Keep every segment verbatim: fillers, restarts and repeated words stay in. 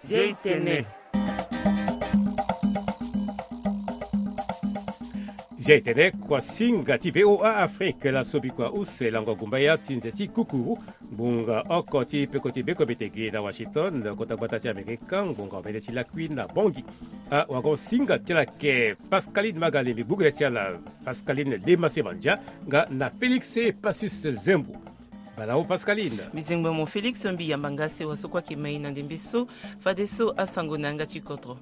Zia e tene. Zia e tene, kuasinga ti VOA Afrique. Laso bikua use lango gumbaya ti nze ti kukuru. Ngbonga oko ti peko ti beko mbetege na Washington, kota gbata ti Amerika, ngbonga omene ti lakui na Bangui. Awagosinga ti ala ke Pascaline Magalé, mbi gbu gere ti ala Pascaline Lema Semandia, nga na Félix Passus Zembo. Balawo Pascaline. Mbi zengbo mo Félix, mbi yamba nga sewa so kue ayeke mai na ndembe so. Fadeso asango na yanga ti kodro.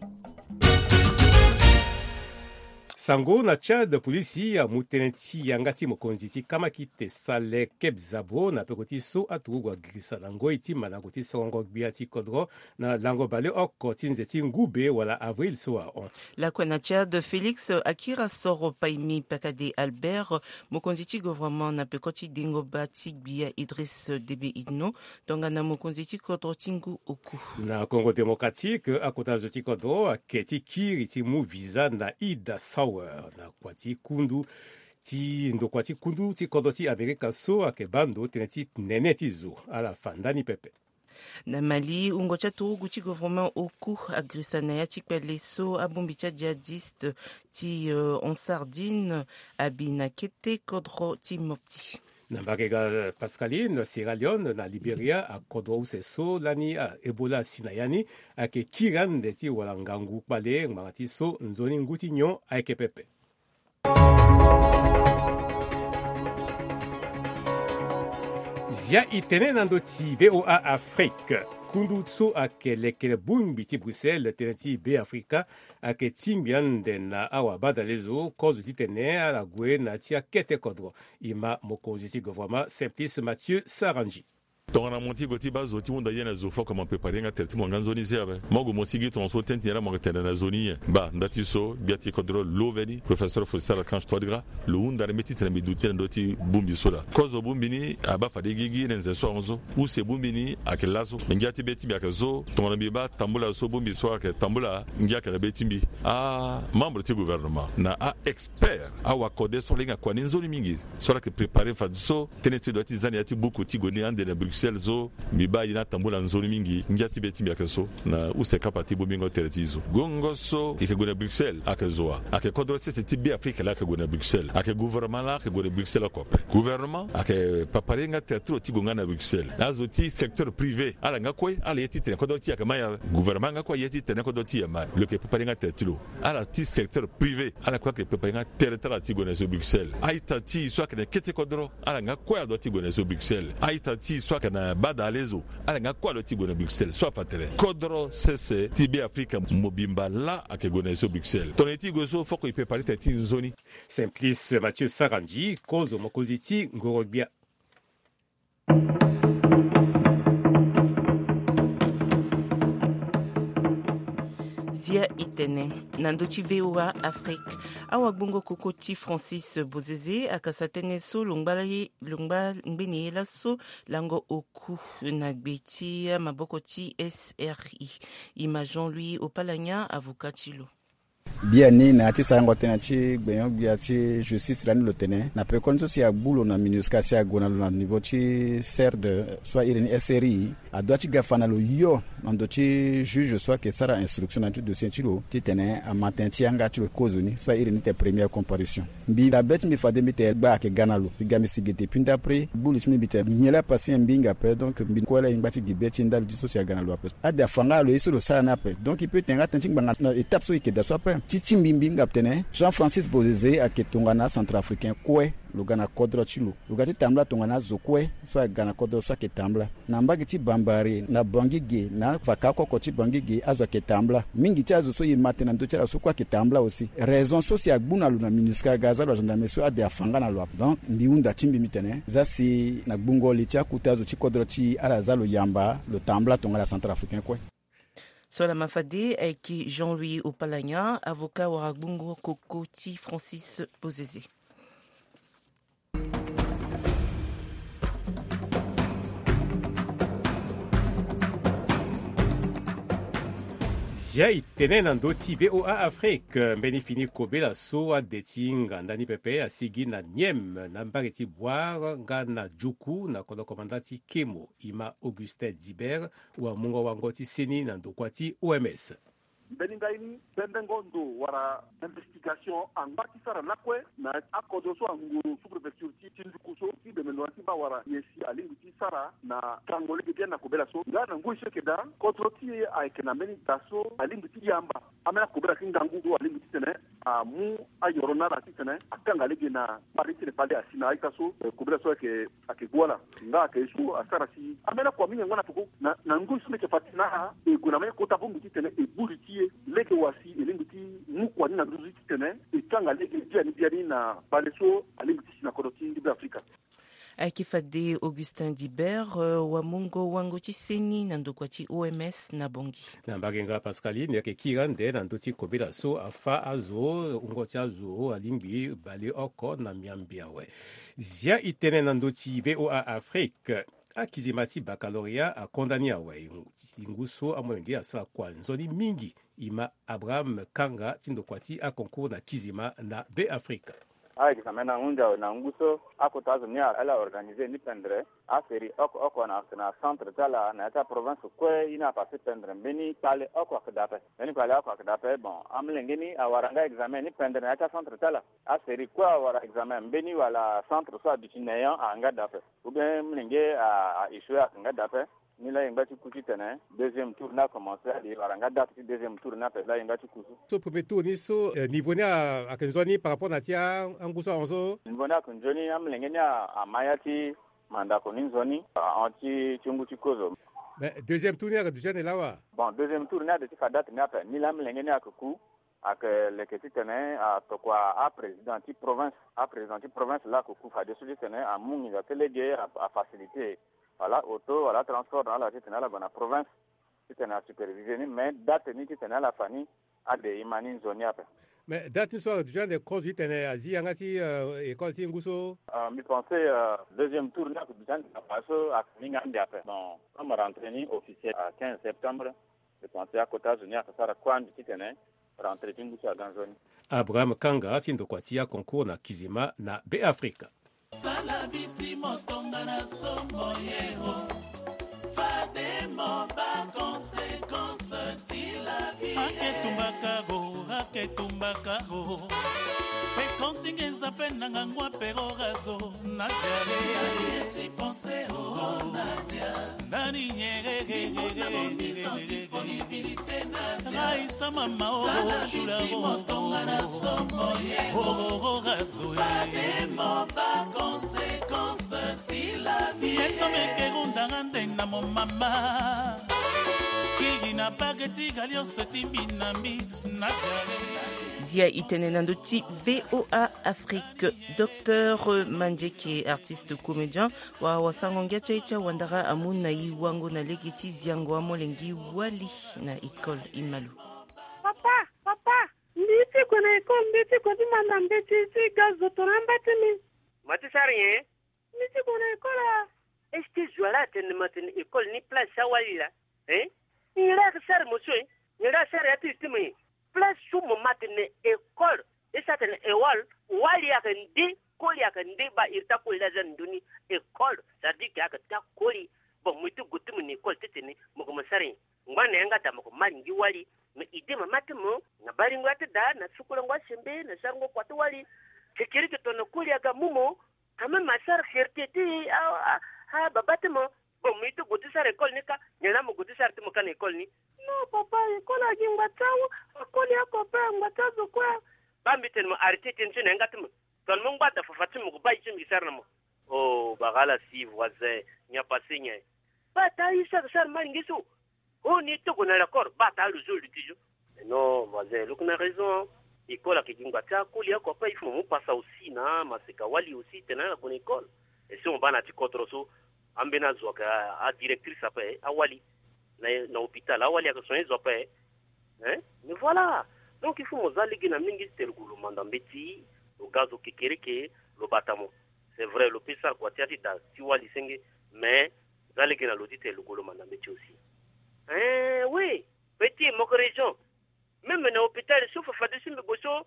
Sango na Tchad, polisi amu tënë ti yanga ti mokonzi ti kamakite Saleh Kebzabo na peko ti so aturugu agirisa na ngoi ti mandango ti sorongo gbia ti kodro na lango baleoko ti nze ti ngube wala avril so ahon. Lakue na Tchad, Félix Akirasoro Paimi Pakade Albert, mokonzi ti gouvernement na peko ti dengo bâ ti gbia Idriss Déby Itno, tongana mokonzi ti kodro ti ngu oku. Na Congo Démocratique, akota zo ti kodro ayeke ti kiri ti mu visa na Ida Sauer na kua ti kundu ti ndokua ti kundu ti kodro ti Amerika so ayeke baa ndo tënë ti nene ti zo. Ala fa ndani pepe. Na Mali, wungo ti aturugu ti gouvernement oku agirisa na ya ti kpale so abongbi ti ajihadiste ti, euh, Ansar Dine abi na kete kodro ti Mopti. Na mbage ga Pascaline, Sierra Leone na Liberia, akodro use so lani, ah, Ebola asi na ya ni, ayeke kiri ande ti wara ngangu kpale ngbanga ti so nzoni ngu ti nyon ayeke pepe. Zia e tene na ndö ti VOA Afrique. Kundu so ayeke lekere bongbi ti Bruxelles, tënë ti Beafrika, ayeke tingbi ande na awabadalezo kozo titene ala gue na ya ti akete kodro. E ma mokonzi ti gouvernement Simplice Mathieu Sarandji. Tongana mo ti gue ti baa zo ti hunda ye na zo fo aka mo prépare nga tere ti mo nga nzoni se ape. Mo gue mo sigi tongaso tene ti nyen la mo yeke tene na zo ni nyen. Baa nda ti so gbia ti kodro lo veni, professeur Faustin Archange Touadéra, lo hunda na mbi titene mbi duti na ndö ti bongbi so laa. Kozo bongbi ni abaa fade gigi na nze so ahon so. Use bongbi ni ayeke laso. Me ngia ti be ti mbi ayeke so tongana mbi baa tambula so bongbi so ayeke tambula, ngia ayeke na be ti mbi. Ah, membre ti gouvernement na a expert, awakode so ala hinga kua ni nzoni mingi, so ala yeke prépare fadeso tënë ti dua ti za na ya ti buku ti gue ni ande na Bruxelles so, mbi baa ye ni atambula nzoni mingi. Ngia ti be ti mbi ayeke so na use kapa ti bongbingo tere ti zo. Gongo so e yeke gue na Bruxelles ayeke zo wa? Ayeke kodro sese ti Beafrika laa ayeke gue na Bruxelles. Ayeke gouvernement laa ayeke gue na Bruxelles oko ape. Gouvernement ayeke prépare nga tere ti lo ti gue nga na Bruxelles. Azo ti secteur privé ala nga kue ala ye titene kodro ti e ayeke mai ape. Gouvernement nga kue aye titene kodro ti e aye mai. Lo yeke prépare nga tere ti lo. Ala ti secteur privé ala kue ayeke prépare nga tere ti ala ti gue na so Bruxelles. A-ita ti e so ayeke na kete kodro ala nga kue adua ti gue na so Bruxelles. A-ita ti e so ayeke na badalezo ala nga kue adua ti gue na Bruxelles. So afa tere kodro sese ti Beafrika mobimba laa ayeke gue na so Bruxelles. Tongana e ti gue so foko e prépare tere ti nzoni. Simplice Mathieu Sarandji, kozo mokonzi ti ngorogbia. Zia e tene na ndö ti VOA Afrique, awagbongo koko ti Francis Bozeze akasa tënë so lo ngba ye, lo ngba ngbeni ye laso lango oku na gbe ti amaboko ti S R I. E ma Jean-Louis Opalagna, avocat ti lo. Biani na ya ti sarango tënë ti gbenyo-gbia ti justice lani lo tene na pekoni so si agbu lo na MINUSCA si ague na lo na niveau ti CERD so a iri ni S R I, adua ti ga fa na lo yo na ndo ti juge so ayeke sara instruction na ya ti dossier ti lo titene ama tënë ti yanga ti lo kozoni so a iri ni tene première comparution. Mbi dabe ti mbi fade mbi tene gba ayeke ga na lo. Mbi ga mbi si gi depuis ndapre. Gbu li ti mbi mbi tene nyen la pasi nyen mbi hinga ape. Donc mbi kue la e ngba ti gi be ti ndali ti so si aga na lo ape. Ade afa nga na lo ye so lo sara ni ape. Donc e peut tene nga tënë ti ngbanga na étape so e yeke daa so ape. Ti ti mbi mbi hinga tene Jean Francis Bozeze ayeke tongana acentrafricain kue. Lo ga na kodro ti lo. Lo ga ti tambula tongana azo kue so aga na kodro so ayeke tambula. Na mbage ti Bambari, na Bangui ge, na faka oko oko ti Bangui ge, azo ayeke tambula. Mingi ti azo so e ma tënë na ndö ti ala so kue ayeke tambula aussi. Raison so si agbu na lo na MINUSCA aga aza lo na gendarmerie so ade afa nga na lo ape. Donc mbi hunda ti mbi mbi tene za si na gbungo li ti akota azo ti kodro ti e ala za lo yamba lo tambula tongana acentrafricain kue. So lama fade ayeke Jean-Louis Opalagna, avocat wara gbungo koko ti Francis Bozeze. Ya e tene na ndö ti VOA Afrique, mbeni fini kobela so ade ti nganda ni pepe asigi na Niem na mbage ti Bouar nga na Djukou na kodro komanda ti Kemo, e ma Augustin Dibert, wamungo-wango ti seni na ndokua ti O M S. Mbeni ngai ni, bendengo ndo wala investigation angba ti sara lakue na akodro so anguru sous-préfecture ti, ti Nduku so, ti bemendo na ti baa wala ye si alingbi ti sara na kango lege bien na kobela so. Nga na ngoi so eke daa, kodro ti e ayeke na mbeni da so alingbi ti yamba ambeni akobela ti ngangu so alingbi titene amu ayoro na ala titene akanga lege na kpale titene kpale asi na a-ita so, eh, kobela so ayeke, ayeke gue ala. Nga ayeke ye so asara si ambeni akua mingi angba na peko na, na ngoi so mbi yeke fa ti na ala, e gue na mbeni kota bongbi titene e buri ti e lege wa si e lingbi ti mu kua ni na nduzu ti titene e kanga lege biani biani na kpale so alingbi ti si na kodro ti Beafrika. Ayeke fade Augustin Dibert, eh, wamungo-wango ti seni na ndokua ti O M S na Bangui. Na mbage nga Pascaline, e yeke kiri ande na ndö ti kobela so afâ azo, wungo ti azo alingbi bale oko na miambe awe. Zia e tene na ndö ti VOA Afrique. Akizima ti baccalauréat akonda ni awe. E ngu so amolenge asara kua nzoni mingi, e ma Abraham Kanga ti ndokua ti aconcours na kizima na Beafrika. A-examen ni ahunzi awe na ngu so akota azo ni ala organisé ni pendere. Asérie oko oko na, na centre ti ala na ya ti aprovince kue, ye ni apasé pendere. Mbeni kpale oko ayeke daa ape. Mbeni kpale oko ayeke daa ape. Bon, amolenge ni awara nga examen ni pendere na ya ti acentre ti ala. Asérie kue awara examen, mbeni wala centre so aduti Néant ayeke nga daa ape. Ou bien molenge a, a échoué ayeke nga daa ape. Ni laa e ngba ti ku titene deuxième tour ni akomanse, ade e wara nga date ti deuxième tour ni ape laa e ngba ti ku so. So premier tour ni so, eh, niveau ni a, ayeke nzoni par rapport na ti a, angu so ahon so? Niveau ni ayeke nzoni, amolenge ni a, ama ya ti mandako ni nzoni ahon ti, ti ngu ti kozo. Mais deuxième tour ni ayeke duti ande laa wa? Bon, deuxième tour ni ade ti fa date ni ape. Ni laa amolenge ni ayeke ku, ayeke leke titene atokua aprésident ti province, aprésident ti province laa ayeke ku fadeso titene amu nginza ti lege a, afacilité wala auto wala transport na ala titene ala gue na province titene asupervisé ni. Mais date ni titene ala fa ni, ade e ma ni nzoni ape. Mais date ni so ayeke duti ande kozo titene azi yanga ti, euh, école ti ngu so? Euh, mbi pensé, euh, deuxième tour ni ayeke duti ande na fa so ayeke mingi ande ape. Bon, comme rentrée ni officielle à quinze septembre, mbi pensé akota zo ni ayeke sara kue ande titene rentrée ti ngu so aga nzoni. Abraham Kanga ti ndokua ti aconcours na kizima na Beafrika. Sala biti motonga na sombo ye o. Fade mo ba conséquence ti la vie. Ake tumbaka go, ake tumbaka go. Pe kontingenza pe na ngangwa pero razo na jale. Ti pensé o Nadia. Nani nyerere. Raisa mama o shula o. Oro razo e. Eso meke rundanga nde na mo mama. Kiri na bage ti ga lionso ti mbi na mbi na jare. Zia e tene na ndö ti VOA Afrique. Docteur Mandieke, artiste comédien, wa wasango ngia ti aye ti awandara amu na e wango na lege ti ziango amolenge wali na école. E ma lo. Papa, papa, mbi ti gue na école, mbi ti gue ti manda mbeti ti ga zo tongana amba ti mbi. Ma ti sara nyen? Mbi ti gue na école a. Est-ce que zo ala atene ma tene école ni place ti awali laa? Hein? Nyen la ayeke sara mo so, hein? Nyen la asara ya ti lo ti mo, hein? Place so mo ma tene école, e sara tene école, wali ayeke nde, koli ayeke nde, baa iri ti akoli laa aza na ndö ni école, ça veut dire que ayeke ti akoli. Bon, mo ye ti gue ti mo na école titene mo gue mo sara nyen? Ngba na yanga daa mo gue mo alingbi wali. Me idée mama ti mo na baringo ya ti daa na sukulango asembe na sarango kua ti wali. Kekereke tongana koli aga mu mo, quand même asara fierté ti a, a, a baba ti mo. Bon, mo ye ti gue ti sara école ni ka, nyen la mo gue ti sara ti mo ka na école ni? Non papa, école agi ngba ti awu, akoli ako pe ngba ti azo kue. Baa mbi tene mo arrêté tënë so na yanga ti mo. Tongana mo ngba daa fafa ti mo gue baa ye ti mbi sara na mo. Oh, bagala si voisin, nyen apasé nyen? Baa taa ye so ayeke sara malingi so. Oh, ni ti gue na l'école, baa taa lo zo luti zo. Mais non voisin, lo yeke na raison. École ayeke gi ngba ti akoli ako ape, il faut mo mu pasa aussi na maseka wali aussi tene ala gue na école. Et si mo baa na ya ti kodro so, ambeni azo ayeke adirectrice ape, awali na, na hôpital, awali ayeke soigner zo ape. Hein? Mais voilà. Donc il faut mo za lege na mingi ti tene lo gue lo manda mbeti, lo ga zo kekereke, lo bata mo. C'est vrai, lo peut sara kua ti ya ti daa ti wali senge, mais za lege na lo ti tene lo gue lo manda mbeti aussi. Hein, oui. Petit, mo yeke raison. Même na hôpital so fafade so mbi gue so.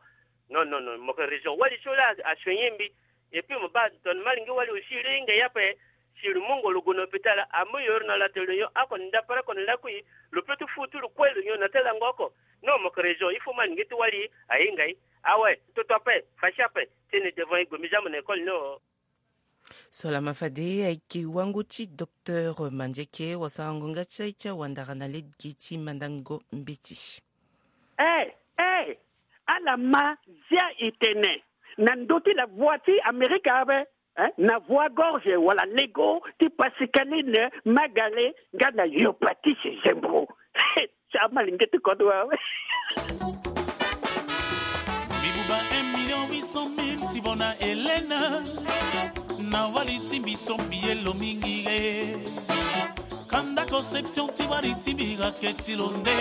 Non, non, non, mo yeke raison. Wali so laa asoigner mbi. Et puis mo baa tongana malingeti wali aussi lo hinga ye ape. Si lo mu ngolo gue na hôpital, amu yoro na lato lo nyon oko, ndapara oko na lakui. Lo peut ti fu ti lo kue lo nyon na tala lango oko. Non, mo yeke raison. Il faut malingeti wali ahinga ye. Awe, toto ape, fâché ape. Tene devant ye gue, mbi za mo na école ni o. So lama fade ayeke wango ti docteur Mandieke, wasarango nga ti aye ti awandara na lege ti mandango mbeti. Eh, eh, ala ma zia e tene na ndö ti la voix ti Amerika ape, eh, na voix gorge wala lego ti Pascaline Magale nga na Yopatis Zembro. Ti amalingeti kodro awe. Mbi buba un million huit cent mille ti vo na Helena. Na wali ti mbi so mbi ye lo mingi re. Kanda conception ti wali ti mbi ra ke ti lo nde.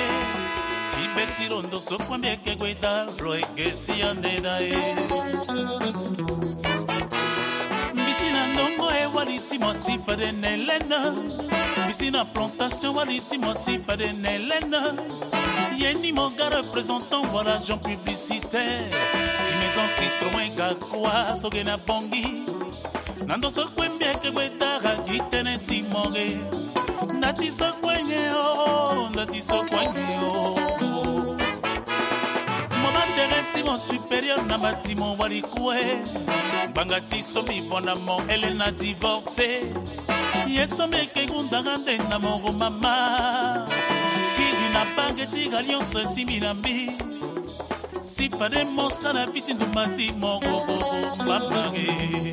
Ti be ti lo ndo so kue mbi yeke gue da lo eke si ande da e. Mbi si na ndongo e wali ti mo asi fade na Helena. Mbi si na plantation wali ti mo asi fade na Helena. Ye ni mo ga représentant wala agent publicitaire ti maison Citroën Gakoa so ge na Bangui. Na ndo so kue mbi yeke gue dara gi tënë ti mo ge. Nda ti so kue nyen o, nda ti so kue nyen o. Mo ba tere ti mo supérieur na ba ti mo wali kue. Ngbanga ti so mbi vo na mo Helena divorcé. Ye so mbi yeke gunda nga nde na mo ro mama. Kiri na bage ti alliance ti mbi na mbi. Si fade mo sara fi ti ndumba ti mo ro mama re.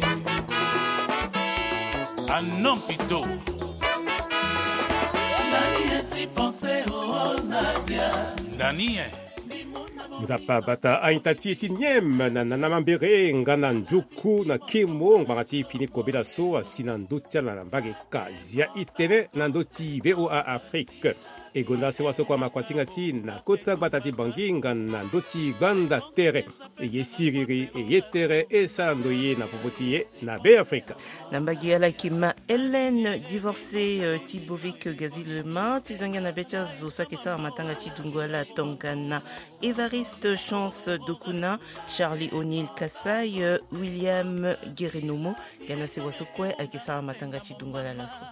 Ah non, pito. Nani ye ti pensé, oh, Nadia? Nani ye? Nzapa abata a-ita ti e ti nyen na nana mambere nga na nduku na kemo ngbanga ti fini kobela so asi na ndö ti ala na mbage ka. Zia itene na ndö ti V O A Afrique. E gonda sewa so kue amakuasinga ti e na kota gbata ti Bangui nga na ndö ti gbanda tere. E ye siriri, e ye tere, e sara ndoye na popo ti e na Beafrika. Na mbage ala yeke ma Hélène, divorcée, euh, ti Bovic Gazilema, ti zangia na be ti azo so ayeke sara matanga ti dungo ala tongana Évariste Chance Dokuna, Charlie O'Neil Kassai, euh, William Guerenomo, nga na sewa so kue ayeke sara matanga ti dungo ala laso.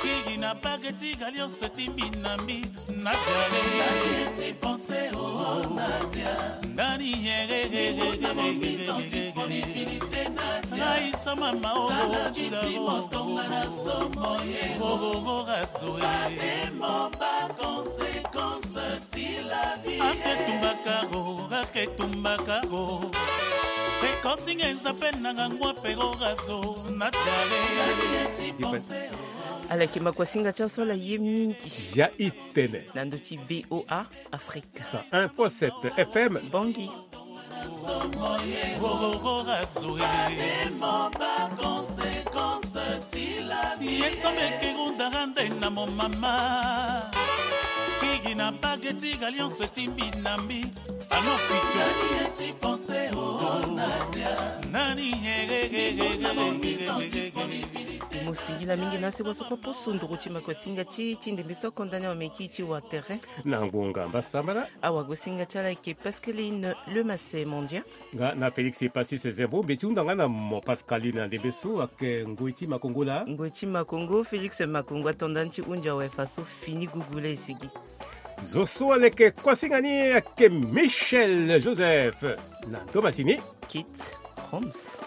Kiri na bage ti alliance ti mbi na mbi, Nadia. Nani ye ti pensé, oh, Nadia? Nani ye? Ngai so mama, oh, sala ti mo tongana somo ye. Go, go, go, razo, eh. Fade mo ba conséquence ti la vie. Ake tumbaka go, ake tumbaka go. Pe koti ngenza pe na ngangu ape go razo, Nadia. Ala yeke makuasinga ti aso ala ye mingi. Zia itene. Na ndö ti V O A Afrique. Cent un point sept F M. Bangui. Ye so mbi yeke gonda nga nde na mo mama. Kiri na bage ti alliance ti mbi na mbi. Ah non, pito. Nani ye ti pensé, oh, Nadia? Nani ye? Mo singila mingi na sewa so kue aposo nduru ti makuasinga ti e ti ndembe so akonda ni awameki ti wa tere. Na ngonga mbasambala. Awagosinga ti ala ayeke Pascaline Lemasset Mandia. Nga na Félix Passis Zembo, mbi ti hunda nga na mo Pascaline na ndembe so ayeke ngoi ti Makongo laa. Ngoi ti Makongo, Félix Makongo ato nda ni ti hunzi awe fa so fini gugu laa e sigi. Zo so aleke kuasinga ni ayeke Michel Joseph. Na ndo masini. Kit Roms.